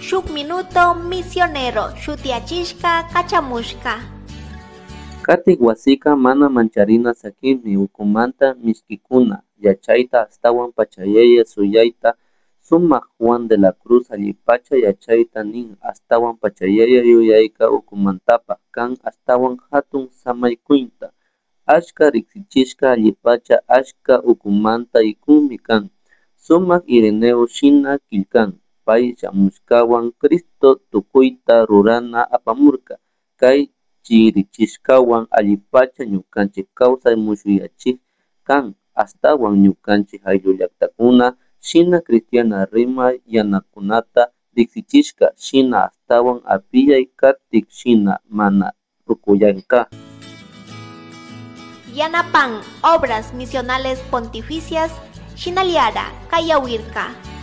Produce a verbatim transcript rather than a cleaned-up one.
Shuk Minuto Misionero shutiyachishka kachamushka. Katik wasika mana mancharina sakinmi ukumanta mishkikuna yachayta ashtawan pachayaya suyayta sumak Juan de la Cruz allipacha yachayta nin ashtawan pachayaya yuyayka ukumantapak kan ashtawan hatun samaykuyta achka riksichishka allipacha achka ukumanta ikunmi kan sumak Ireneo shina killkan pay shamushkawan Cristo tukuyta rurana apamurka kay chirichishkawan allipacha ñukanchik kawsay mushuyachik kan ashtawan ñukanchik ayllullaktakuna shina cristiana rimay yanakunata riksichishka shina ashtawan apiyay katik shina mana rukuyanka. Yanapan Obras Misionales Pontificias Shinaliara Kayawirka.